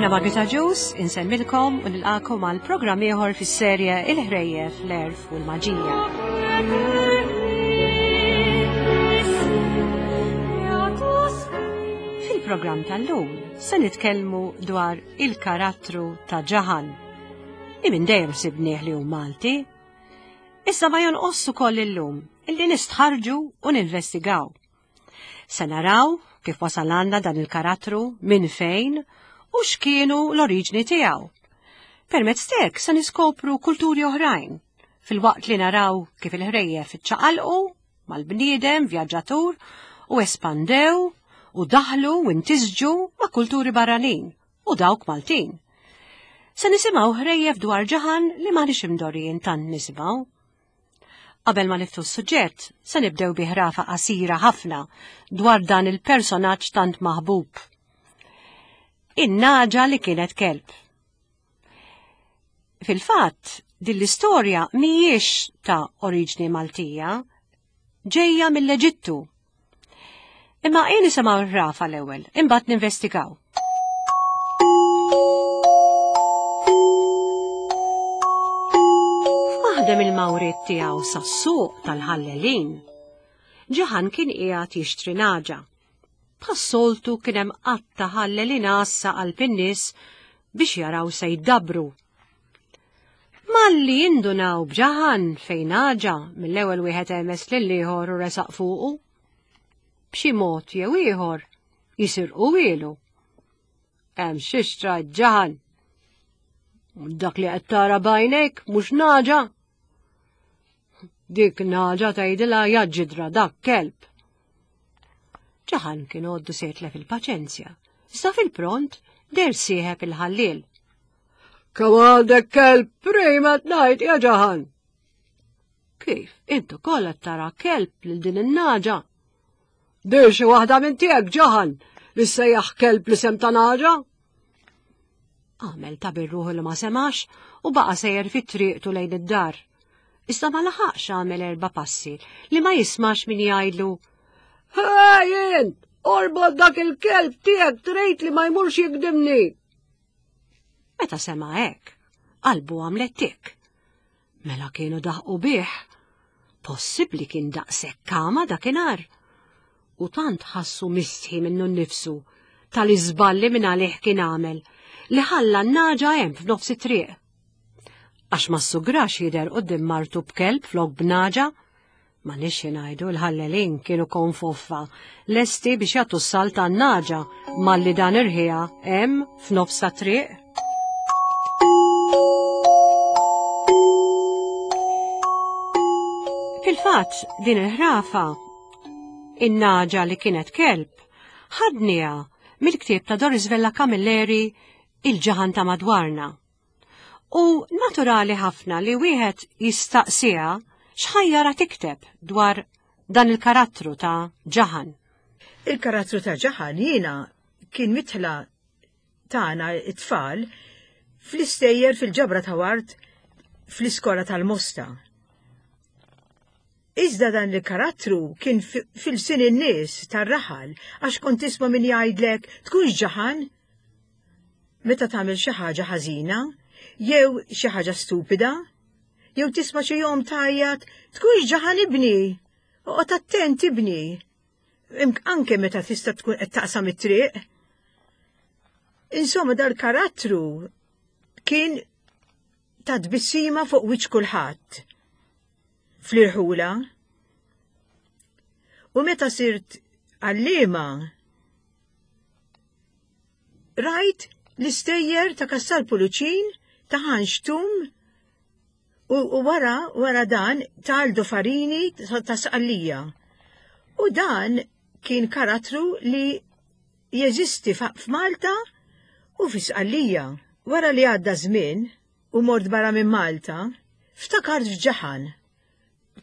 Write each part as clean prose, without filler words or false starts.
Jiena Margita Ġus, insellmilkom u nilqakom għal programm ieħor fis-serje Il-Ħrejjef, l-Erf u l-Maġija. Fil-programm tal-lum se nitkellmu dwar il-karattru ta' Ġaħan. Li minn dejjem sibnieh li hu Malti. Issa ma jonqos ukoll illum illi nistħarġu u ninvestigaw. Se naraw kif wasal għandna dan il-karattru, minn fejn u x'kienu l-oriġni tiegħu. Permezz t'hekk se niskopru kulturi oħrajn, filwaqt li naraw kif il-ħrejjef iċċaqalqu mal-bniedem vjaġġatur u espandew u daħlu u intisġu ma' kulturi barranin u dawk Maltin. Se nisimgħu ħrejjef dwar ġaħan li m'aħniex imdorrijin tant nisimgħu. Qabel ma niftu s-suġġett, se nibdew bi ħrafa qasira ħafna dwar dan il-personaġġ tant maħbub. In-naġa li kienet kelb. Fil-fatt, din l-istorja mhijiex ta' oriġni Maltija, ġejja mill-Eġittu Imma ejja nisimgħu r-rafa l-ewwel, imbagħad ninvestigaw. F'waħda mill-mawriet tiegħu sas-suq tal-ħallelin, Ġaħan kien qiegħed jixtri naġa. Bħas-soltu kien hemm qatta ħallelin għassa qalb in-nies biex jaraw se jdabbru. Malli jindunaw b'Ġaħan fejn naġa mill-ewwel wieħed għemes lil ieħor u resaq fuqu. B'xi mod jew ieħor jisirqu ilu. Hemm xi xtrajt Ġaħan. Dak li qed tara b'għajnejk mhux naġa. Dik naġa tgħidilha jaġġidra dak kelb. Ġaħan kien għoddu se jitlef il-paċenzja. Iżda fil-pront der sieħeb il-ħalliel. Kemm għandek kelb prima tnajt ja ġaħan! Kif, intu kollha tara kelb lil din in-naġa? Dir xi waħda minn tiegħek ġaħan li sejjaħ kelb li sem ta' naġa? Għamel ta' birruħu li ma semax u baqa' sejjer fit-triqtu lejn id-dar. Iżda ma laħaqx għamel erba' passi li ma jismax min jgħidlu Hej int! Orbot dak il-kelb tiegħek trid li ma jmurx jikdimni! Meta sema' hekk, qalbu għamlet tik. Mela kienu daħqu bih. Possibbli kien daqshekk kama dakinhar. U tant ħassu mistħi minnu nnifsu tal-iżballi minn għalih kien għamel li ħalla n-naġa hemm f'nofs it-triq. Għax ma ssugrax jidher quddiem martu b'kelb flok b'naġa, Ma nix ngħidu l-ħallelin kienu konfoffa, lesti biex jagħtu s-salt għan-naġa malli dan irħiha hemm f'nofs ta' triq. Fil-fatt, din il-ħrafa, in-naġa li kienet kelb, ħadniha mill-ktieb ta' Doris Vella Camilleri Il-ġaħan ta' madwarna. U naturali ħafna li wieħed jistaqsiha x'ħajjara tikteb dwar dan il-karattru ta' Ġaħan. Il-karattru ta' Ġaħan jiena kien mitħla tagħna it-tfal fl-istejjer fil-ġabra ta' wart fl-iskola tal-Mosta. Iżda dan il-karattru kien fil-sin in-nies tar-raħal għax kont tisma' min jgħidlek tkunx ġaħan meta tagħmel xi ħaġa ħażina, jew xi ħaġa stupida, jew tisma' xi jom tgħajjat tkunx ġaħan ibni, oqgħod attent ibni. Anke meta tista' tkun qed taqsam it-triq. Insomma dal-karattru kien ta' tbissima fuq wiċċ kulħadd fl-irħula. U meta sirt għallima Rajt l-istejjer ta' Kassar Puluċin ta' Ħanx Tum u, u wara wara dan ta' Aldo Farini ta' Sqallija. U dan kien karattru li jeżisti f'Malta u fi Sqallija. Wara li għadda żmien u mort barra minn Malta, ftakart f'Ġaħan.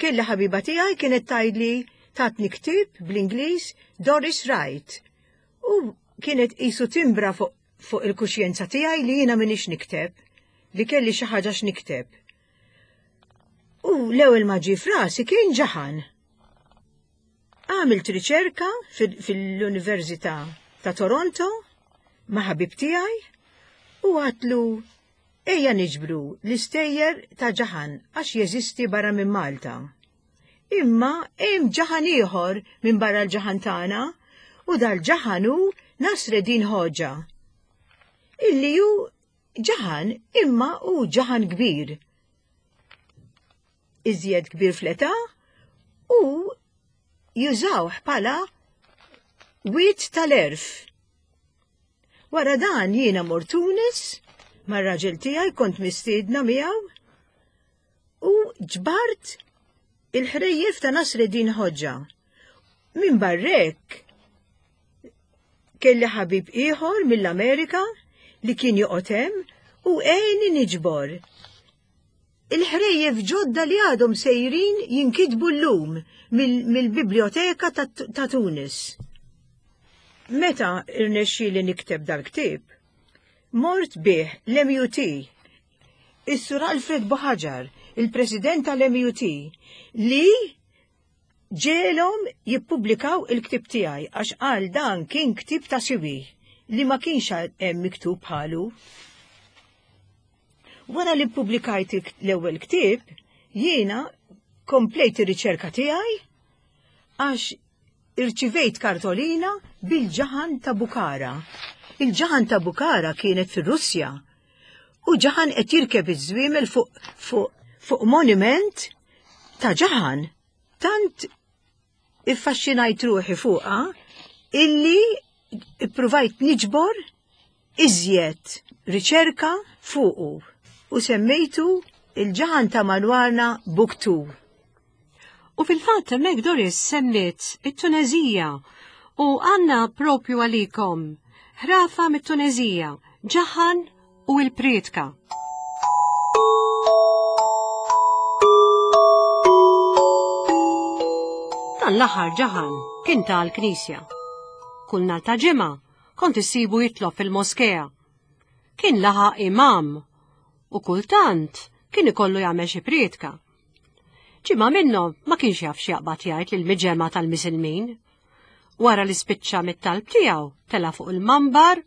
Kelli ħabiba tiegħi kienet tgħidli tatni ktieb bl-Ingliż Doris Wright u kienet qisu timbra fuq fuq il-kuxjenza tiegħi li jiena m'iniex nikteb, li kelli xi ħaġa x'nikteb. U l-ewwel ma ġie f'rasi kien ġaħan. Għamilt riċerka fil-Università ta' Toronto ma' ħabib tiegħi. U għatlu ejja niġbru l-istejjer ta' Ġaħan għax jeżisti barra minn Malta. Imma hemm Ġaħan ieħor minn barra l-Ġaħan tagħna u dal-Ġaħan hu Nasreddin Hoxha. Illi hu Ġaħan imma hu Ġaħan kbir. Iżjed kbir fl-età u jużawh bħala wied tal-għerf. Wara dan jiena mort Tunis mar-raġel tiegħi kont mistiedna miegħu u ġbart il-ħrejjef ta' Nasreddin Hoxha. Minn barrek kelli ħabib ieħor mill-Amerika li kien joqgħod hemm u għeni niġbor il-ħrejjef ġodda li għadhom sejrin jinkitbu llum mill-Biblioteka ta' Tunis. Meta irnexxieli nikteb dal-ktieb, mort bih l-MUT, is-Sur Alfred Buhaġar, il-President tal-MUT, li ġegħelhom jippubblikaw il-ktieb tiegħi għax qal dan kien ktieb ta' siwi li ma kienx hemm miktub bħalu. Wara li ppubblikajt l-ewwel ktieb, jiena komplejt ir-riċerka tiegħi għax irċivejt kartolina bil-ġaħan ta' Bukhara. Il-ġaħan ta' Bukhara kienet fir-Russja u ġaħan qed jirkeb iż-żwiemel fuq fuq fuq monument ta' ġaħan. Tant iffaxxinajt ruħi fuqha illi ippruvajt niġbor iżjed riċerka fuqu u semmejtu il-ġaħan ta' madwarna Book 2. U fil-fatt hemmhekk Doris semmiet it-Tunezija u għandna propju għalikom ħrafa mit-Tunezija, ġaħan u l-prietka. Dan l-aħħar ġaħan kien tal-knisja. Kull nhar ta' ġimgħa kont issibu jitlob fil-moskea. Kien laħaq imam u kultant kien ikollu jagħmel xi prietka. Ġimgħa minnhom ma kienx jaf x'jaqbad jgħid lil miġemgħa tal-misilmin. Wara li spiċċa mit-talb tiegħu tela' fuq il-mambar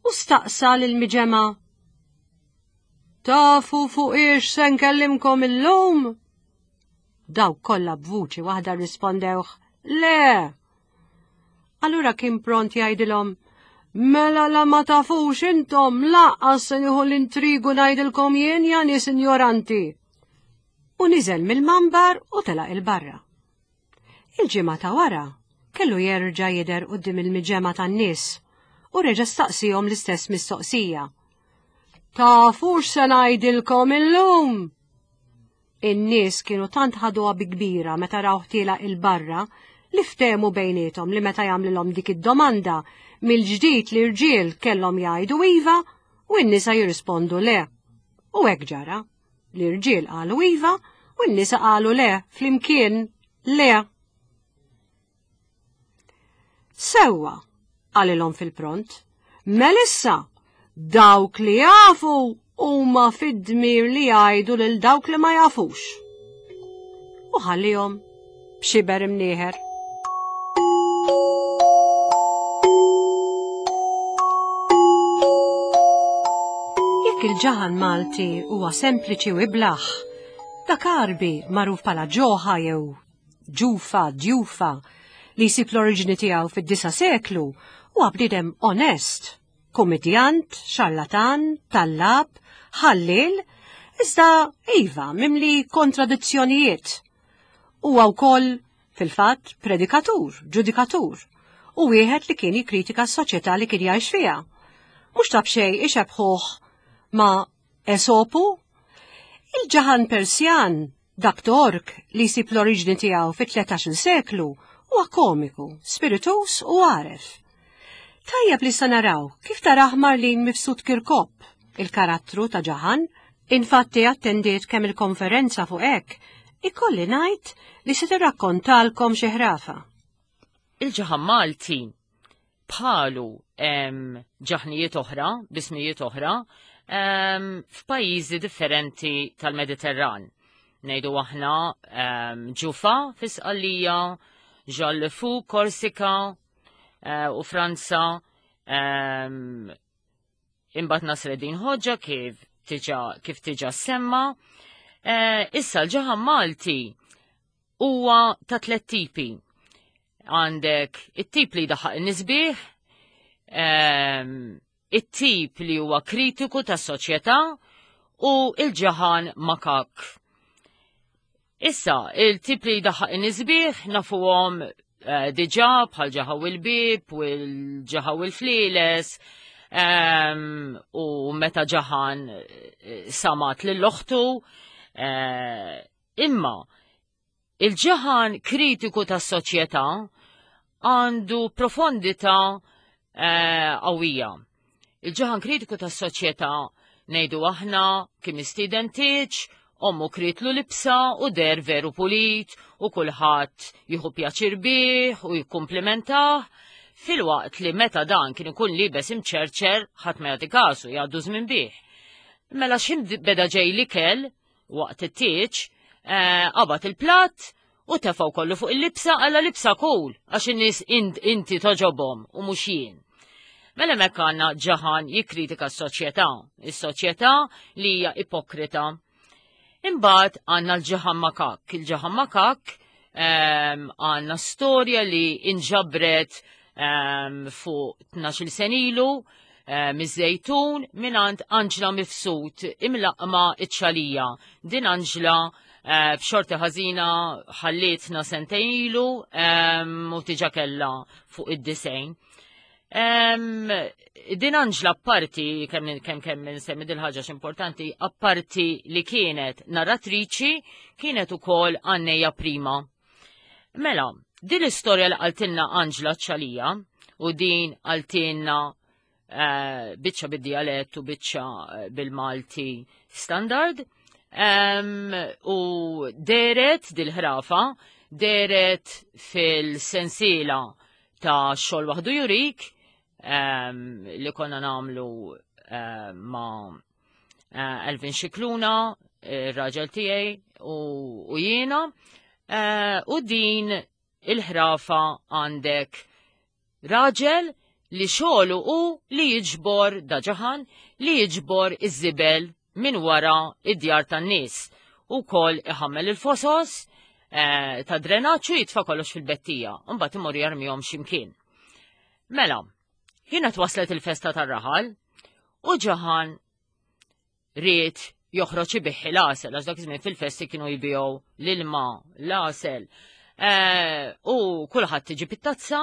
u staqsa lil miġemgħa. Tafu fuq ix se nkellimkom illum? Dawk kollha b'vuċi waħda rrispondewh, Le! Allura kien pront jgħidilhom, Mela la ma tafux intom laqqas se nieħu l-intrigu ngħidilkom jien ja nies injoranti. U niżel mill-mambar u telaq il-barra. Il-ġimgħa ta' wara kellu jerġa' jidher quddiem il-miġemgħa tan-nies u reġa' staqsihom l-istess mistoqsija. Tafux se ngħidilkom illum? In-nies kienu tant ħaduha bi kbira meta rawh tielaq 'il barra li ftehmu bejniethom li meta jagħmlilhom dik id-domanda mill-ġdid l-irġiel kellhom jgħidu iva u n-nisa jirrispondu le. U hekk ġara. L-irġiel qalu iva u n-nisa qalu le flimkien le. Sewwa, qalilhom fil-pront, melissa, dawk li jafu huma fid-dmir li jgħidu lil dawk li ma jafux. U ħallihom b'xiber imnieħer. Jekk il-ġaħan Malti huwa sempliċi u iblaħ, dak Għarbi magħruf bħala ġoħa jew ġufa, djufa, li jsib l-oriġini tiegħu fid-disa' seklu, huwa bniedem onest, kummedjant, xarlatan, tallab, ħalliel, iżda iva mimli kontradizzjonijiet. Huwa wkoll fil-fatt predikatur, ġudikatur, u wieħed li kien jikkritika s-soċjetà li kien jgħix fiha. Mhux ta' b'xejn ixebħuh ma' Esopu, il-ġaħan Persjan Dak Tork, li jsib l-oriġni tiegħu fit-13-il seklu, huwa komiku, spirituż u għaref. Tajjeb li sa naraw kif tarah Marlene Mifsud Kirkop, il-karattru ta' Ġaħan. Infatti attendiet kemm il-konferenza fuq hekk, ikolli ngħid li se tirrakkontalkom xi ħrafa. Il-Ġaħan Malti bħalu hemm ġaħnijiet oħra, bismijiet oħra, f'pajjiżi differenti tal-Mediterran. Ngħidu aħna ġufa fi Sqallija, Ġallefu, Korsika eh, u Franza, Imbagħad Nasreddin Hoxha kif tiġa kif tiġa semma. Eh, issa l-ġaħan Malti huwa ta' tliet tipi. Għandek it-tip li jdaħħaq in-nisbieħ, ehm, it-tip li huwa kritiku tas-soċjetà u il-ġaħan makak. Issa, il-tip li jdaħħaq in-nisbieħ nafuhom eh, diġà bħal ġaħaw il-bib u l-ġaħaw il-flieles ehm, u meta ġaħan eh, samat lill-oħtu eh, Imma il-ġaħan kritiku tas-soċjetà għandu profondità eh, qawwija. Il-ġaħan kritiku tas-soċjetà ngħidu aħna kien mistieden tieġ, ommu kritlu libsa u der veru pulit u kulħadd jieħu pjaċir bih u jikkumplimentah, filwaqt li meta dan kien ikun libes imċerċer ħadd ma jagħti kasu jgħaddu żmien bih. Mela x'ħin beda ġej l-ikel, Waqt it-tieġ, eh, qabad il-platt u tefgħu kollu fuq il-libsa għalla libsa kul għax in-nies inti toġobhom u mhux jien. Mela hemmhekk għandna ġaħan jikkritika s-soċjetà, is-soċjetà li hija ipokrita. Imbagħad għandna l-ġaħan makak, il-ġaħan makak ehm, għandna storja li inġabret ehm, fuq 12 senilu Eh, miż-Żejtun mingħand Anġla Mifsud imlaqma iċ-ċalija. Din Anġla eh, b'xorti ħażina ħallietna sentejn ilu ehm, u tiġa kellha fuq id-disejn. Ehm, din Anġla apparti, kemm kemm kemm insemmi dil ħaġa importanti, apparti li kienet narratriċi, kienet ukoll għannejja prima. Mela, din l-istorja li qaltilna Anġla ċalija u din qaltilna eh, biċċa bid-dialett u biċċa eh, bil-Malti standard. U deret dil-ħrafa, deret fil-sensiela ta' xogħol waħdu jurik li konna namlu eh, ma' Eh, Elvin Xikluna, ir-raġel tiegħi u jiena. Eh, u din il-ħrafa għandek raġel li xogħlu u li jiġbor daġaħan li jiġbor iż-żibel minn wara id-djar tan-nies. U kol iħammel il-fosos eh, ta' drenaċċu jitfa' kollox fil-bettija, mbagħad imur jarmihom x'imkien. Mela, Kienet waslet il-festa tar-raħal u ġaħan ried joħroġ ibiħħi l-għasel, għax dak iż-żmien fil-festi kienu jbigħu l-ilma, l-għasel. Eh, u kulħadd tiġi pittazza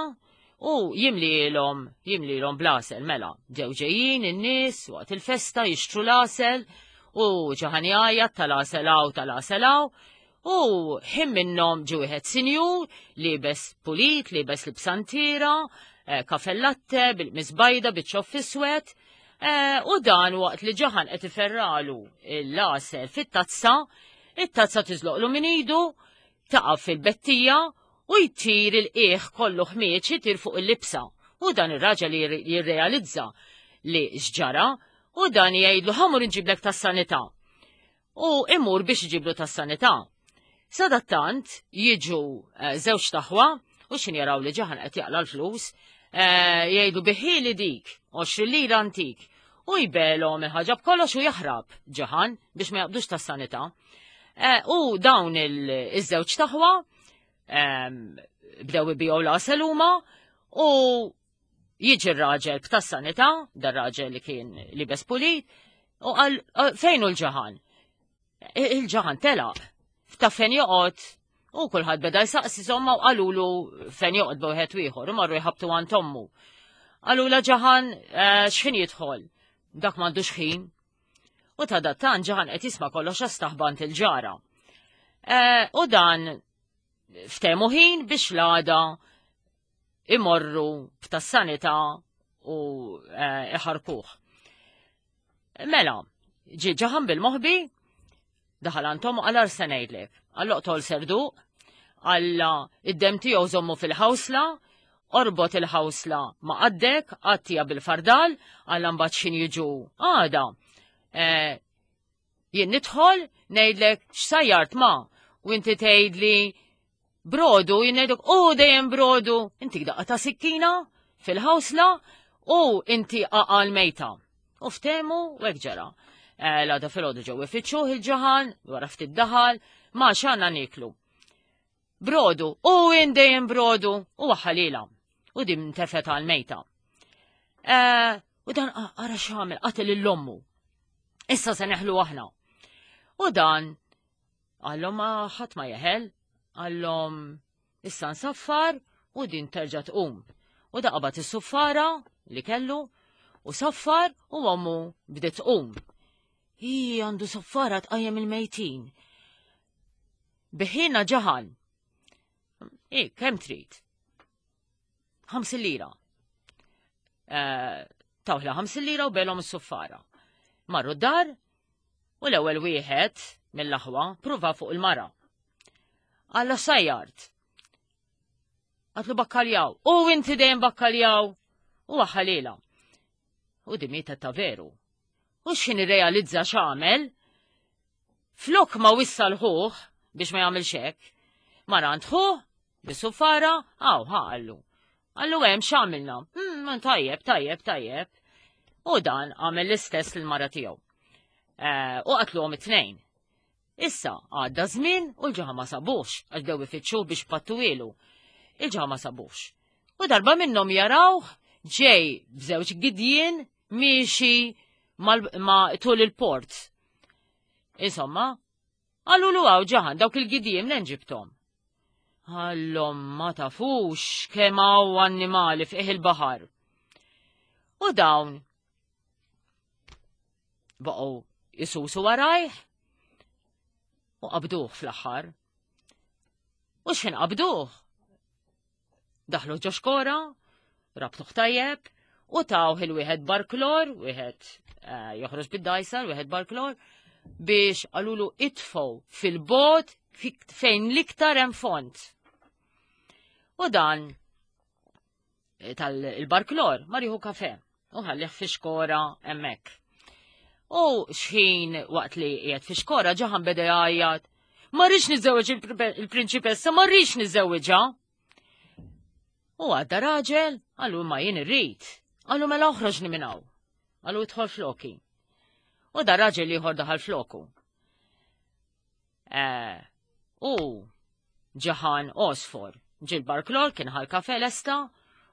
u jimlilhom jimlilhom bl-għasel mela. Ġew ġejjin in-nies waqt il-festa jixtru l-għasel u ġaħan jgħajjat tal-għasel hawn tal-għasel hawn. U ħin minnhom ġie wieħed sinjur, liebes pulit, liebes libsantiera, eh, kafellatte, bil-qmis bajda, biċ-ċoff iswed, eh, u dan waqt li ġaħan qed iferralu l-għasel fit-tazza, it-tazza tiżloqlu minn idu, taqa' fil-bettija u jtir il-qiegħ kollu ħmieġ jitir fuq il-libsa. U dan ir-raġel jirrealizza li x'ġara u dan jgħidlu ħamur inġiblek tas-sanità. u imur biex iġiblu tas-sanità. Sadattant jiġu eh, żewġ taħwa u xin jaraw li ġaħan qed jaqla l-flus, eh, jgħidu biħili dik, 20 lira antik, u jbelhom il-ħaġa b'kollox u jaħrab ġaħan biex ma jaqbdux tas-sanità. Eh, u dawn iż-żewġ taħwa ehm, bdew ibiegħu l-għasel huma u Jiġi r-raġel b'tas-sanità, dar raġel li kien libes pulit, u qal fejn hu l-ġaħan? Il-ġaħan telaq, ta' fejn joqgħod u kulħadd beda jsaqsi somma u qalulu fejn joqgħod b'wieħed ieħor u marru jħabtu għand ommu. Qalula ġaħan eh, x'ħin jidħol? Dak m'għandux ħin. U ta' dattan ġaħan qed jisma' kollox għax staħbant il-ġara. Eh, u dan ftemu ħin biex l-għada imorru f'tas-sanità u eh, iħarkuh. Mela, ġi ġaħan bil-moħbi, daħal għandhom u għal se ngħidlek. Għal oqtol serduq, għalla id-dem tiegħu żommu fil-ħawsla, orbot il-ħawsla ma' qaddek, għattija bil-fardal, għalla mbagħad xin jiġu għada. Eh, Jien nidħol ngħidlek x'sajjart ma u inti tgħidli brodu, jien ngħidlek u dejjem brodu, inti daqqa ta' sikkina fil-ħawsla u inti aqal mejta. U ftehmu u hekk ġara. Eh, l-għada filgħodu ġew ifittxuh il-ġaħan, wara ftit daħal, ma x'għandna nieklu. Brodu, u dejjem brodu, u waħħalila. U din tefet għal mejta. Eh, u dan ara x'għamel qatel l-ommu. Issa se neħlu aħna. U dan għallhom ma ħadd ma jeħel, għallhom issa nsaffar u din terġa' tqum. U da qabad is-suffara li kellu u saffar u ommu bdiet tqum. Hi għandu saffara tqajjem il-mejtin. Biħina ġaħan. I, kemm trid? 50 lira. Eh, tawħla 50 lira u belhom is-suffara. Marru d-dar u l-ewwel wieħed mill-aħwa pruva fuq il-mara. Alla sajjart. Għatlu bakkaljaw. U inti dejjem bakkaljaw. U għaxalila. U di mietet ta' veru. U x'ħin irrealizza x'għamel, flok ma wissa l-ħuh biex ma jagħmilx hekk, mar għand ħuh bis-suffara, għaw ħa qallu. Qallu hemm x'għamilna. Hmm, tajjeb, tajjeb, tajjeb. U dan għamel l-istess l-mara tiegħu. Eh, u qatluhom it-tnejn. Issa, għadda żmien u l-ġaħa ma sabux, għax bdew ifittxuh biex pattuwielu. Il-ġaħa ma sabux. U darba minnhom jarawh ġej b'żewġ gidjien miexi ma tul il-port. Insomma, għalulu għaw ġaħan dawk il-gidjien minn ġibtom. Għallhom ma tafux kemm hawn annimali fih il-baħar. U dawn baqgħu jisusu warajh u qabduh fl-aħħar. U x'ħin qabduh? Daħlu ġo xkora, rabtuh tajjeb, u tawh il-wieħed barklor, wieħed eh, joħroġ bid-dajsar, wieħed barklor, biex qalulu itfgħu fil-bot fejn l-iktar hemm font. U dan eh, tal-barklor mar jieħu kafe u ħallih fi xkora hemmhekk. U xħin waqt li qiegħed fi xkora ġaħan beda jgħajjat, ma rridx niżewweġ il-prinċipessa, ma rridx niżewweġha. U għadda raġel, għallu ma jien irrid. Għallu mela oħroġni minn hawn. Għallu idħol floki. U da raġel ieħor daħal floku. Eh, u ġaħan osfor. Ġil barklor kien ħal kafe lesta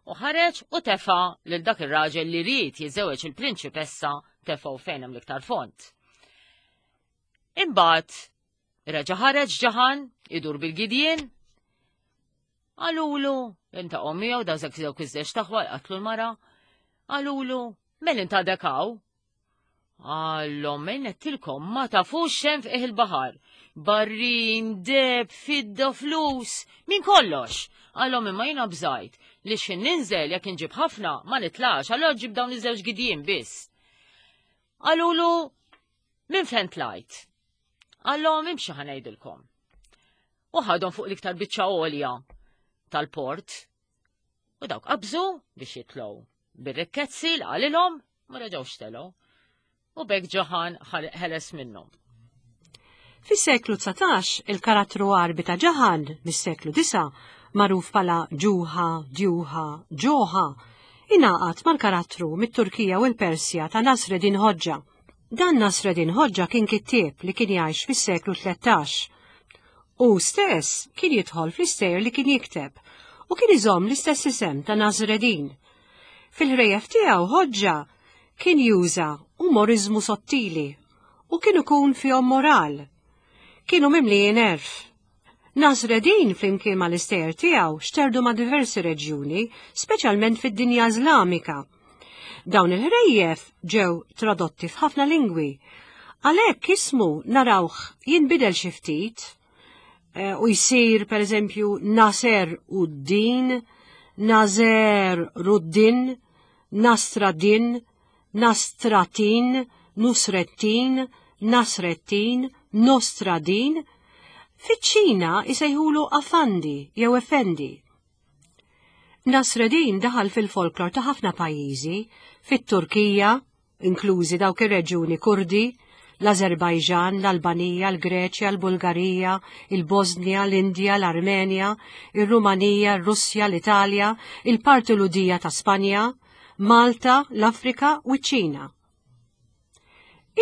u ħareġ u tefa lil dak ir-raġel li ried jiżewweġ il-prinċipessa tefgħu fejn hemm l-iktar font. Imbagħad reġa' ħareġ ġaħan idur bil-gidjien Qalulu, inta miegħu daw żewġ dawk iż-żewġ taħwa qatlu l-mara. Qalulu, mel inta dekaw. Għallhom għettilkom ma tafux xem fih il-baħar. Barrin, deb, fidda, flus, min kollox. Għallhom imma jiena bżajt li x'ħin ninżel jekk inġib ħafna ma nitlax, allora ġib dawn iż-żewġ gidjien biss. Qalulu minn fejn tlajt? Għallhom imxi ħanejdilkom. U ħadhom fuq l-iktar biċċa għolja tal-port. U dawk qabżu biex jitlgħu bir-rikkezzi l qalilhom ma reġgħux telgħu. U bekk Ġoħan ħeles minnhom. Fis-seklu 19, il-karattru Għarbi ta' Ġaħan mis-seklu 9, magħruf bħala Ġuħa, Djuħa, Ġoħa, ingħaqad mal-karattru mit-Turkija u l-Persja ta' Nasreddin Hoxha. Dan Nasreddin Hoxha kien kittieb li kien jgħix fis-seklu 13. Hu stess kien jidħol fl-istejjer li kien jikteb u kien iżomm l-istess isem ta' Nasreddin. Fil-ħrejjef tiegħu Hoxha kien juża umoriżmu sottili u kien ikun fihom moral. Kienu mimlijin għerf. Nasreddin flimkien mal-istejjer tiegħu xterdu ma' diversi reġjuni, speċjalment fid-dinja Iżlamika. Dawn il-ħrejjef ġew tradotti f'ħafna lingwi. Għalhekk ismu narawh jinbidel xi ftit eh, u jsir pereżempju Naser Uddin, Nazer Ruddin, Nastradin, Nastratin, Nusrettin, Nasrettin, Nostradin. Fiċ-Ċina jsejħulu Afandi jew Effendi. Nasreddin daħal fil-folklor ta' ħafna pajjiżi, fit-Turkija, inklużi dawk ir-reġjuni Kurdi, l-Azerbajġan, l-Albanija, l-Greċja, l-Bulgarija, il-Bosnja, l-Indja, l-Armenja, ir-Rumanija, r-Russja, l-Italja, il-parti Lhudija ta' Spanja, Malta, l-Afrika u ċ-Ċina.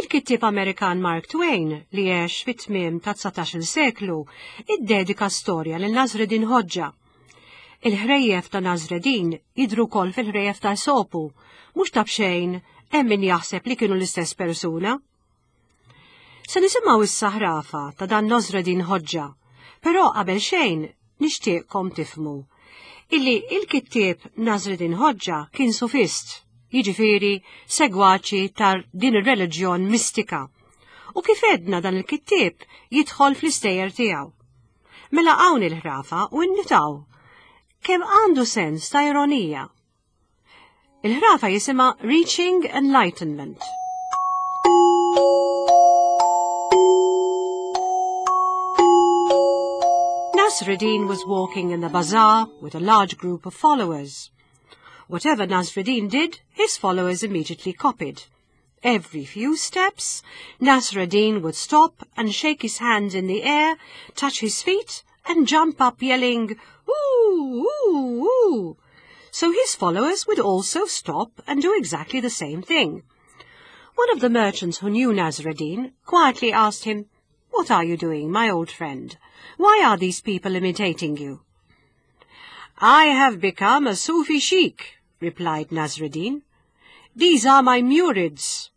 Il-kittieb Amerikan Mark Twain, li għex fit-tmiem ta' 19-il seklu, iddedika storja lil Nasreddin Hoxha. Il-ħrejjef ta' Nasreddin jidhru wkoll fil-ħrejjef ta' Esopu, mhux ta' b'xejn hemm min jaħseb li kienu l-istess persuna. Se nisimgħu issa ħrafa ta' dan Nasreddin Hoxha, però qabel xejn nixtieqkom tifhmu illi il-kittieb Nasreddin Hoxha kien sufist, jiġifieri segwaċi ta' din ir-reliġjon mistika. U kif għedna dan il-kittieb jidħol fl-istejjer tiegħu. Mela hawn il-ħrafa u nnutaw kemm għandu sens ta' ironija. Il-ħrafa jisimha Reaching Enlightenment. Nasruddin was walking in the bazaar with a large group of followers. Whatever Nasruddin did, his followers immediately copied. Every few steps, Nasruddin would stop and shake his hands in the air, touch his feet, and jump up yelling, Ooh, ooh, ooh. So his followers would also stop and do exactly the same thing. One of the merchants who knew Nasruddin quietly asked him, What are you doing, my old friend? Why are these people imitating you? I have become a Sufi sheikh, replied Nasruddin. These are my murids,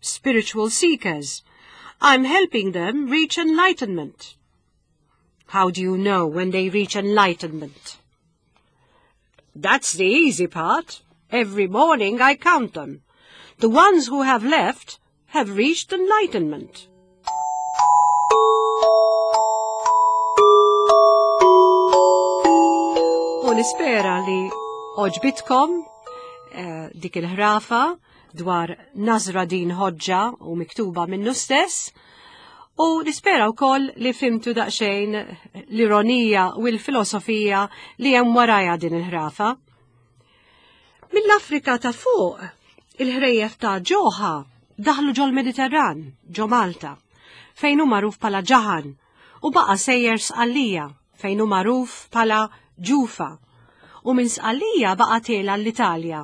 spiritual seekers. I'm helping them reach enlightenment. How do you know when they reach enlightenment? That's the easy part. Every morning I count them. The ones who have left have reached enlightenment. U nispera li oġbitkom eh, dik il-ħrafa dwar Nasruddin Hoxha u miktuba minnu stess. U nispera wkoll li fhimtu daqsxejn l-ironija u l-filosofija li hemm warajha din il-ħrafa. Mill-Afrika ta' fuq, il-ħrejjef ta' Ġoħa daħlu ġol-Mediterran, ġo Malta, fejn hu magħruf bħala Ġaħan, u baqa' sejjer Sqallija, fejn hu magħruf bħala Ġufa, u minn Sqallija baqa' tiela l-Italja,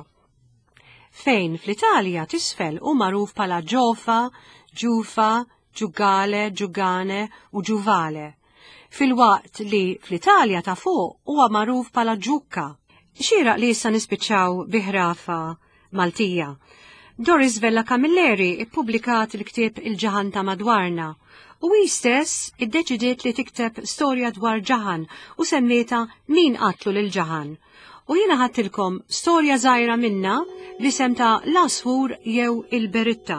fejn fl-Italja t'isfel hu magħruf bħala Ġofa, Ġufa, Ġugale, Ġugane u Ġuvale, filwaqt li fl-Italja ta' fuq huwa magħruf bħala Ġukka. Xieraq li issa nispiċċaw bi ħrafa Maltija. Doris Vella Camilleri ippubblikat il-ktieb Il-Ġaħan ta' Madwarna u hi stess iddeċidiet li tikteb storja dwar ġaħan u semmietha Min Qatlu lil Ġaħan. U jiena ħadtilkom storja żgħira minnha bl-isem ta' L-Għasfur jew il-Beritta.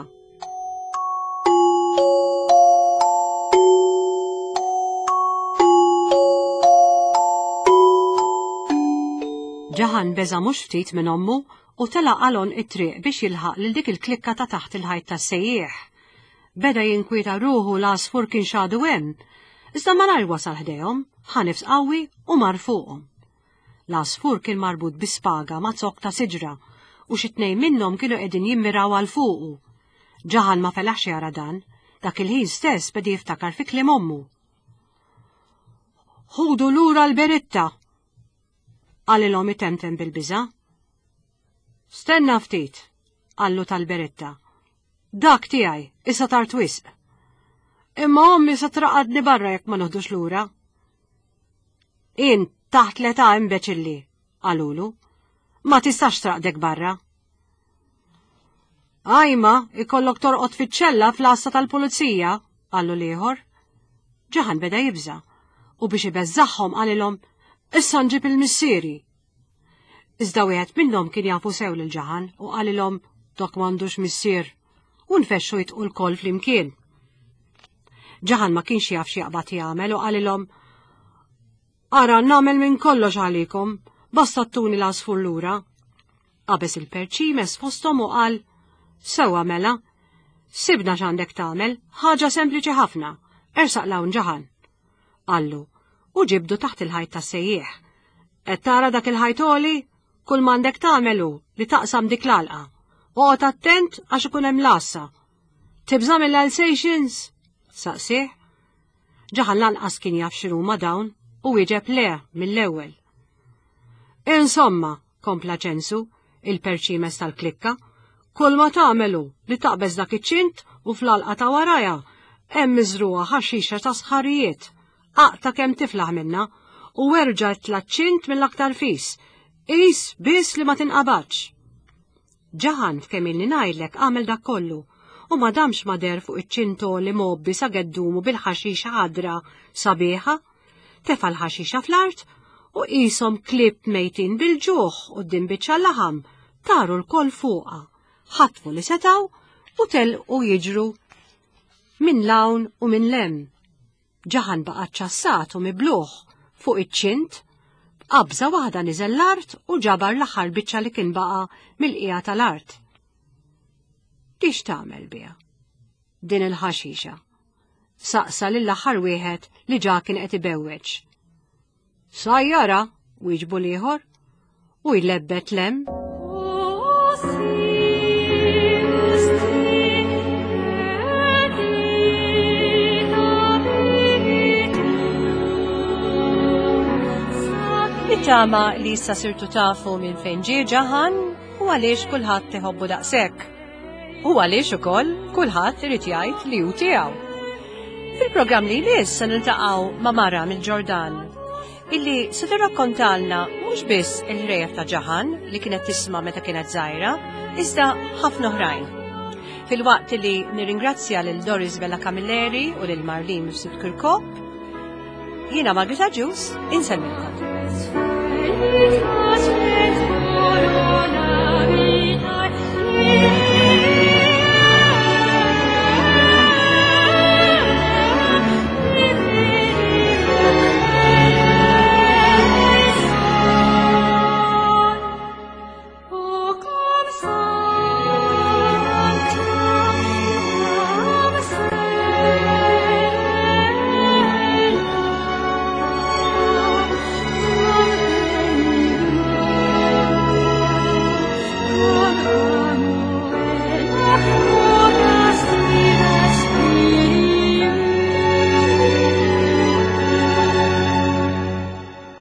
Ġaħan beża' mhux ftit minn ommu u telaq għal għonq it-triq biex jilħaq lil dik il-klikka ta' taħt il-ħajt tas-sejjieħ. Beda jinkwieta ruħu l-għasfur kienx għadu hemm, iżda malajr wasal ħdejhom, ħa nifs qawwi u mar fuqhom. L-għasfur kien marbut bi spaga ma' zokk ta' siġra u xi tnejn minnhom kienu qegħdin jimmiraw għal fuqu. Ġaħan ma felaħx jara dan, dak il-ħin stess beda jiftakar fi kliem ommu. Ħudu lura l-beritta! Qalilhom itemtem bil-biża'. Stenna ftit, qallu tal-beritta. Dak tiegħi, issa tard wisq. Imma ommi se traqadni barra jekk ma noħdux lura. Int taħt l-età imbeċilli, qalulu. Ma tistax traqdek barra. Ajma, ikollok torqod fiċ-ċella fl-għassa tal-pulizija, qallu l-ieħor. Ġaħan beda jibża' u biex ibeżżagħhom qalilhom, issa nġib il-missieri. Iżda wieħed minnhom kien jafu sew lil Ġaħan u qalilhom dak m'għandux missier u nfexxu jitqu lkoll flimkien. Ġaħan ma kienx jaf x'jaqbad jagħmel u qalilhom Ara nagħmel minn kollox għalikom, basta ttuni l-għasfur lura. Qabeż il-perċimes fosthom u qal, Sewwa mela, sibna x'għandek tagħmel, ħaġa sempliċi ħafna, ersaq 'l hawn Ġaħan. Qallu, u ġibdu taħt il-ħajt tas-sejjieħ. Qed tara dak il-ħajt għoli? Kull m'għandek tagħmel hu li taqsam dik l-għalqa. Oqgħod attent għax ikun hemm l-għassa. Tibża' mill-Alsatians? Saqsieh. Ġaħan lanqas kien jaf x'inhuma dawn u wieġeb le mill-ewwel. Insomma, kompla Ċensu, il-perċimes tal-klikka, kull ma tagħmel hu li taqbeż dak iċ-ċint u fl-għalqa ta' warajha hemm miżrugħa ħaxixa ta' sħarijiet. Aqta' kemm tiflaħ minnha u erġa' itla' ċ-ċint mill-aktar fis. Qis biss li ma tinqabadx. Ġaħan f'kemm ilni ngħidlek għamel dak kollu u ma damx ma deher fuq iċ-ċint għoli mgħobbi sa geddumu bil-ħaxixa ħadra sabiħa. Tefa' l-ħaxixa fl-art u qishom klieb mejtin bil-ġuħ quddiem biċċa laħam taru lkoll fuqha, ħatfu li setgħu u telqu jiġru minn 'l hawn u minn 'l hemm. Ġaħan baqa' ċċassat u mibluh fuq iċ-ċint. B'qabża waħda niżel l-art u ġabar l-aħħar biċċa li kien baqa' mill-qiegħa tal-art. Di x'tagħmel biha? Din il-ħaxixa. Saqsa lill-aħħar wieħed li ġa kien qed ibewweġ. Sajjara, wieġbu l-ieħor, u jlebbet lem. Nittama li issa sirtu tafu minn fejn ġie ġaħan u għaliex kulħadd iħobbu daqshekk. U għaliex ukoll kulħadd irid jgħid li hu tiegħu. Fil-programm li jmiss se niltaqgħu ma' mara mill-Ġordan illi se tirrakkontalna mhux biss il-ħrejjef ta' Ġaħan li kienet tisma' meta kienet żgħira, iżda ħafna oħrajn. Filwaqt li nirringrazzja lil Doris Vella Camilleri u lil Marlene Mifsud Kirkop, jiena Margit Agius insellmilkom.